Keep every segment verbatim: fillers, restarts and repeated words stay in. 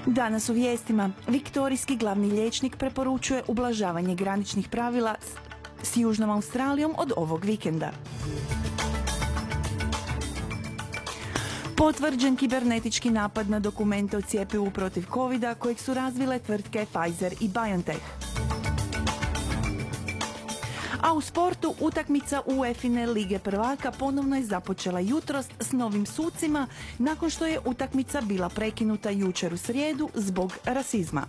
Danas u vijestima viktorijski glavni liječnik preporučuje ublažavanje graničnih pravila s, s Južnom Australijom od ovog vikenda. Potvrđen kibernetički napad na dokumente o cjepivu protiv kovida kojeg su razvile tvrtke Pfizer i BioNTech. A u sportu utakmica UEFA-ine Lige prvaka ponovno je započela jutros s novim sucima nakon što je utakmica bila prekinuta jučer u srijedu zbog rasizma.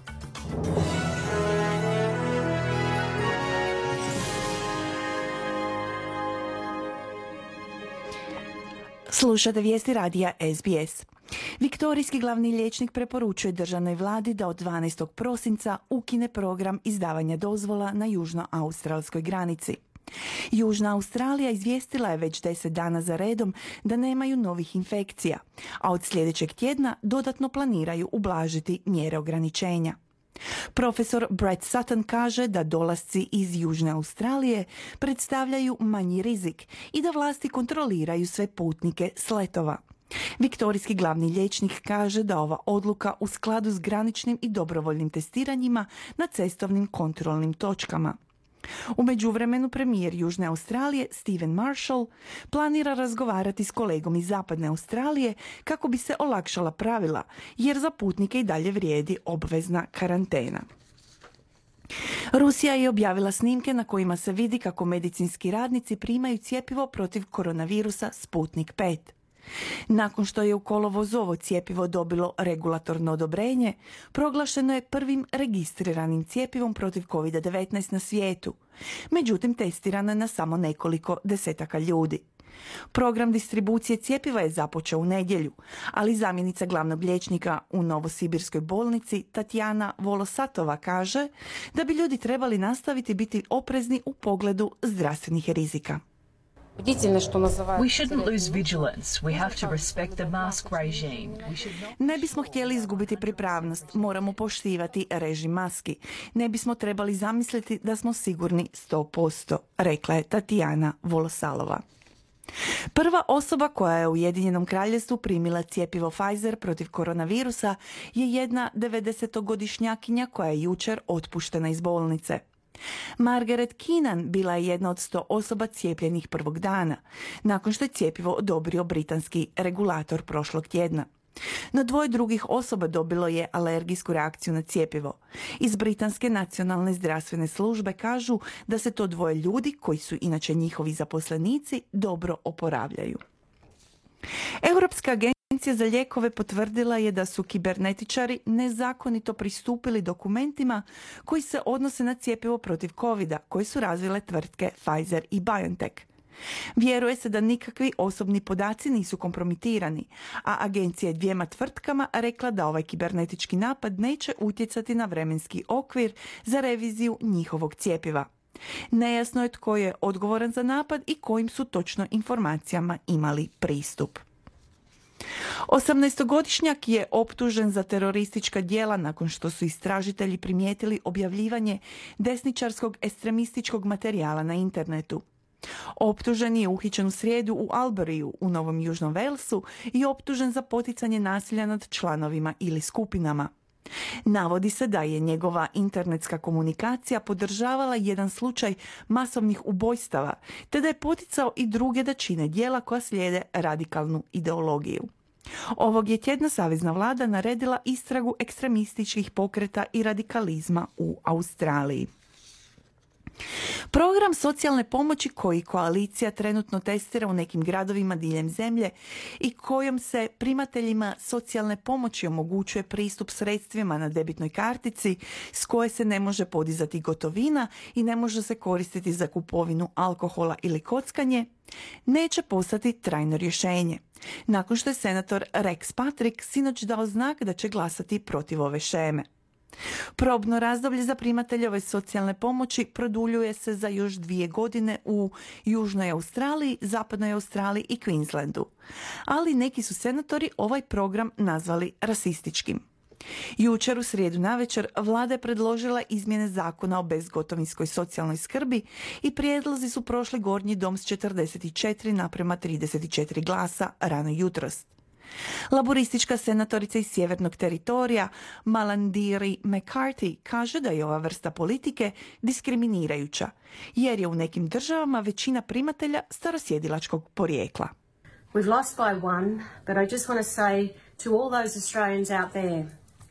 Slušate vijesti radija S B S. Viktorijski glavni liječnik preporučuje državnoj vladi da od dvanaestog prosinca ukine program izdavanja dozvola na južnoaustralskoj granici. Južna Australija izvijestila je već deset dana za redom da nemaju novih infekcija, a od sljedećeg tjedna dodatno planiraju ublažiti mjere ograničenja. Profesor Brett Sutton kaže da dolasci iz Južne Australije predstavljaju manji rizik i da vlasti kontroliraju sve putnike s letova. Viktorijski glavni liječnik kaže da ova odluka u skladu s graničnim i dobrovoljnim testiranjima na cestovnim kontrolnim točkama. U međuvremenu premijer Južne Australije Stephen Marshall planira razgovarati s kolegom iz Zapadne Australije kako bi se olakšala pravila, jer za putnike i dalje vrijedi obvezna karantena. Rusija je objavila snimke na kojima se vidi kako medicinski radnici primaju cjepivo protiv koronavirusa Sputnik pet. Nakon što je u kolovozu ovo cjepivo dobilo regulatorno odobrenje, proglašeno je prvim registriranim cjepivom protiv kovid devetnaest na svijetu. Međutim, testirano je na samo nekoliko desetaka ljudi. Program distribucije cjepiva je započeo u nedjelju, ali zamjenica glavnog liječnika u Novosibirskoj bolnici Tatjana Volosatova kaže da bi ljudi trebali nastaviti biti oprezni u pogledu zdravstvenih rizika. We shouldn't lose vigilance. We have to respect the mask regime. We should not... Ne bismo htjeli izgubiti pripravnost, moramo poštivati režim maski. Ne bismo trebali zamisliti da smo sigurni sto posto, rekla je Tatjana Volosalova. Prva osoba koja je u Ujedinjenom Kraljevstvu primila cjepivo Pfizer protiv koronavirusa je jedna devedesetogodišnjakinja koja je jučer otpuštena iz bolnice. Margaret Keenan bila je jedna od sto osoba cijepljenih prvog dana, nakon što je cjepivo odobrio britanski regulator prošlog tjedna. No dvoje drugih osoba dobilo je alergijsku reakciju na cjepivo. Iz Britanske nacionalne zdravstvene službe kažu da se to dvoje ljudi, koji su inače njihovi zaposlenici, dobro oporavljaju. Europska agencija Agencija za lijekove potvrdila je da su kibernetičari nezakonito pristupili dokumentima koji se odnose na cjepivo protiv kovida koje su razvile tvrtke Pfizer i BioNTech. Vjeruje se da nikakvi osobni podaci nisu kompromitirani, a agencija je dvijema tvrtkama rekla da ovaj kibernetički napad neće utjecati na vremenski okvir za reviziju njihovog cjepiva. Nejasno je tko je odgovoran za napad i kojim su točno informacijama imali pristup. osamnaestogodišnjak je optužen za teroristička djela nakon što su istražitelji primijetili objavljivanje desničarskog ekstremističkog materijala na internetu. Optužen je uhićen u srijedu u Alburyju u Novom Južnom Walesu i optužen za poticanje nasilja nad članovima ili skupinama. Navodi se da je njegova internetska komunikacija podržavala jedan slučaj masovnih ubojstava, te da je poticao i druge da čine djela koja slijede radikalnu ideologiju. Ovog je tjedna savezna vlada naredila istragu ekstremističkih pokreta i radikalizma u Australiji. Program socijalne pomoći koji koalicija trenutno testira u nekim gradovima diljem zemlje i kojom se primateljima socijalne pomoći omogućuje pristup sredstvima na debitnoj kartici s koje se ne može podizati gotovina i ne može se koristiti za kupovinu alkohola ili kockanje, neće postati trajno rješenje, nakon što je senator Rex Patrick sinoć dao znak da će glasati protiv ove sheme. Probno razdoblje za primateljove socijalne pomoći produljuje se za još dvije godine u Južnoj Australiji, Zapadnoj Australiji i Queenslandu. Ali neki su senatori ovaj program nazvali rasističkim. Jučer u srijedu navečer vlada je predložila izmjene zakona o bezgotovinskoj socijalnoj skrbi i prijedlozi su prošli gornji dom s četrdeset četiri naprema trideset četiri glasa rano jutros. Laboristička senatorica iz sjevernog teritorija Malandiri McCarthy kaže da je ova vrsta politike diskriminirajuća, jer je u nekim državama većina primatelja starosjedilačkog porijekla. We've lost by one, but I just want to say to all those Australians out there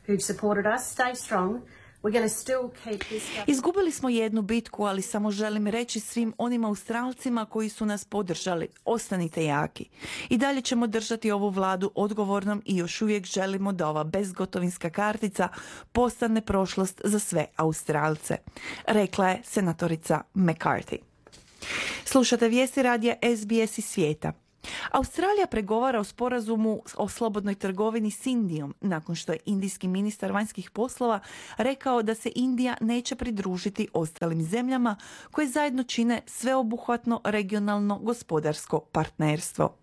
who've supported us, stay strong. We're going to still keep this... Izgubili smo jednu bitku, ali samo želim reći svim onim Australcima koji su nas podržali, ostanite jaki. I dalje ćemo držati ovu vladu odgovornom i još uvijek želimo da ova bezgotovinska kartica postane prošlost za sve Australce, rekla je senatorica McCarthy. Slušate vijesti radija S B S iz svijeta. Australija pregovara o sporazumu o slobodnoj trgovini s Indijom nakon što je indijski ministar vanjskih poslova rekao da se Indija neće pridružiti ostalim zemljama koje zajedno čine sveobuhvatno regionalno gospodarsko partnerstvo.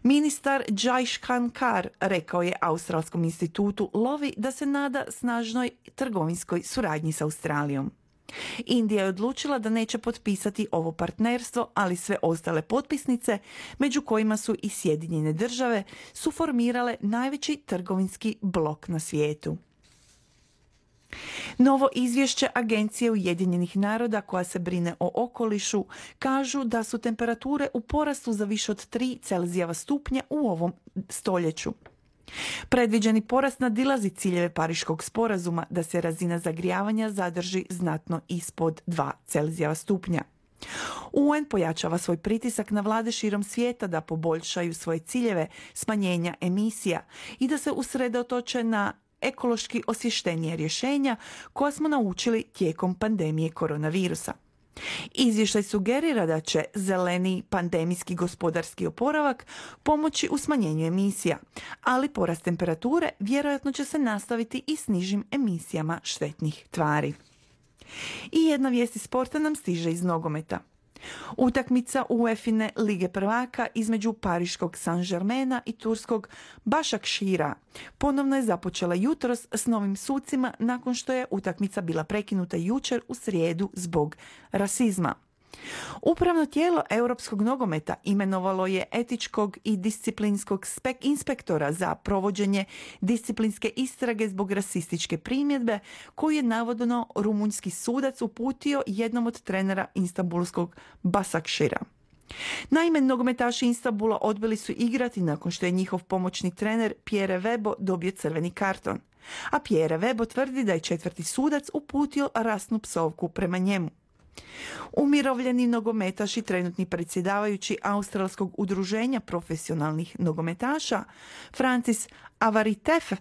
Ministar Jai Shankar rekao je Australskom institutu Lovi da se nada snažnoj trgovinskoj suradnji s Australijom. Indija je odlučila da neće potpisati ovo partnerstvo, ali sve ostale potpisnice, među kojima su i Sjedinjene države, su formirale najveći trgovinski blok na svijetu. Novo izvješće Agencije Ujedinjenih naroda koja se brine o okolišu kažu da su temperature u porastu za više od tri Celzijeva stupnja u ovom stoljeću. Predviđeni porast nadilazi ciljeve Pariškog sporazuma da se razina zagrijavanja zadrži znatno ispod dva Celzijeva stupnja. U N pojačava svoj pritisak na vlade širom svijeta da poboljšaju svoje ciljeve smanjenja emisija i da se usredotoče na ekološki osvještenije rješenja koja smo naučili tijekom pandemije koronavirusa. Izvještaj sugerira da će zeleni pandemijski gospodarski oporavak pomoći u smanjenju emisija, ali porast temperature vjerojatno će se nastaviti i s nižim emisijama štetnih tvari. I jedna vijest iz sporta nam stiže iz nogometa. Utakmica UEFA-ine Lige prvaka između pariškog Saint-Germaina i turskog Başakşehira ponovno je započela jutros s novim sucima nakon što je utakmica bila prekinuta jučer u srijedu zbog rasizma. Upravno tijelo europskog nogometa imenovalo je etičkog i disciplinskog spek- inspektora za provođenje disciplinske istrage zbog rasističke primjedbe koju je navodno rumunjski sudac uputio jednom od trenera istanbulskog Başakşehira. Naime, nogometaši Istanbula odbili su igrati nakon što je njihov pomoćni trener Pierre Webo dobio crveni karton, a Pierre Webo tvrdi da je četvrti sudac uputio rasnu psovku prema njemu. Umirovljeni nogometaš i trenutni predsjedavajući Australskog udruženja profesionalnih nogometaša Francis Avaritef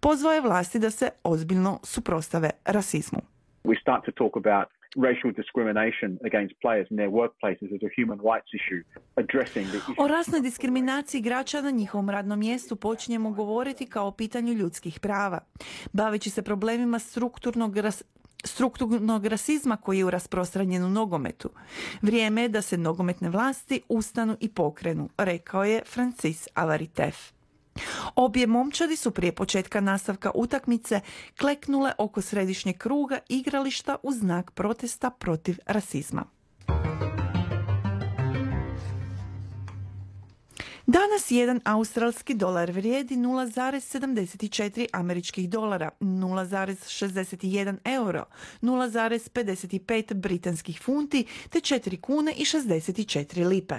pozvao je vlasti da se ozbiljno suprotstave rasizmu. We start to talk about racial discrimination against players in their workplaces as a human rights issue, addressing the issue. O rasnoj diskriminaciji igrača na njihovom radnom mjestu počinjemo govoriti kao o pitanju ljudskih prava, baveći se problemima strukturnog ras strukturnog rasizma koji je rasprostranjen u nogometu. Vrijeme je da se nogometne vlasti ustanu i pokrenu, rekao je Francis Avaritef. Obje momčadi su prije početka nastavka utakmice kleknule oko središnjeg kruga igrališta u znak protesta protiv rasizma. Danas jedan australski dolar vrijedi nula zarez sedamdeset četiri američkih dolara, nula zarez šezdeset jedan euro, nula zarez pedeset pet britanskih funti te četiri kune i šezdeset četiri lipe.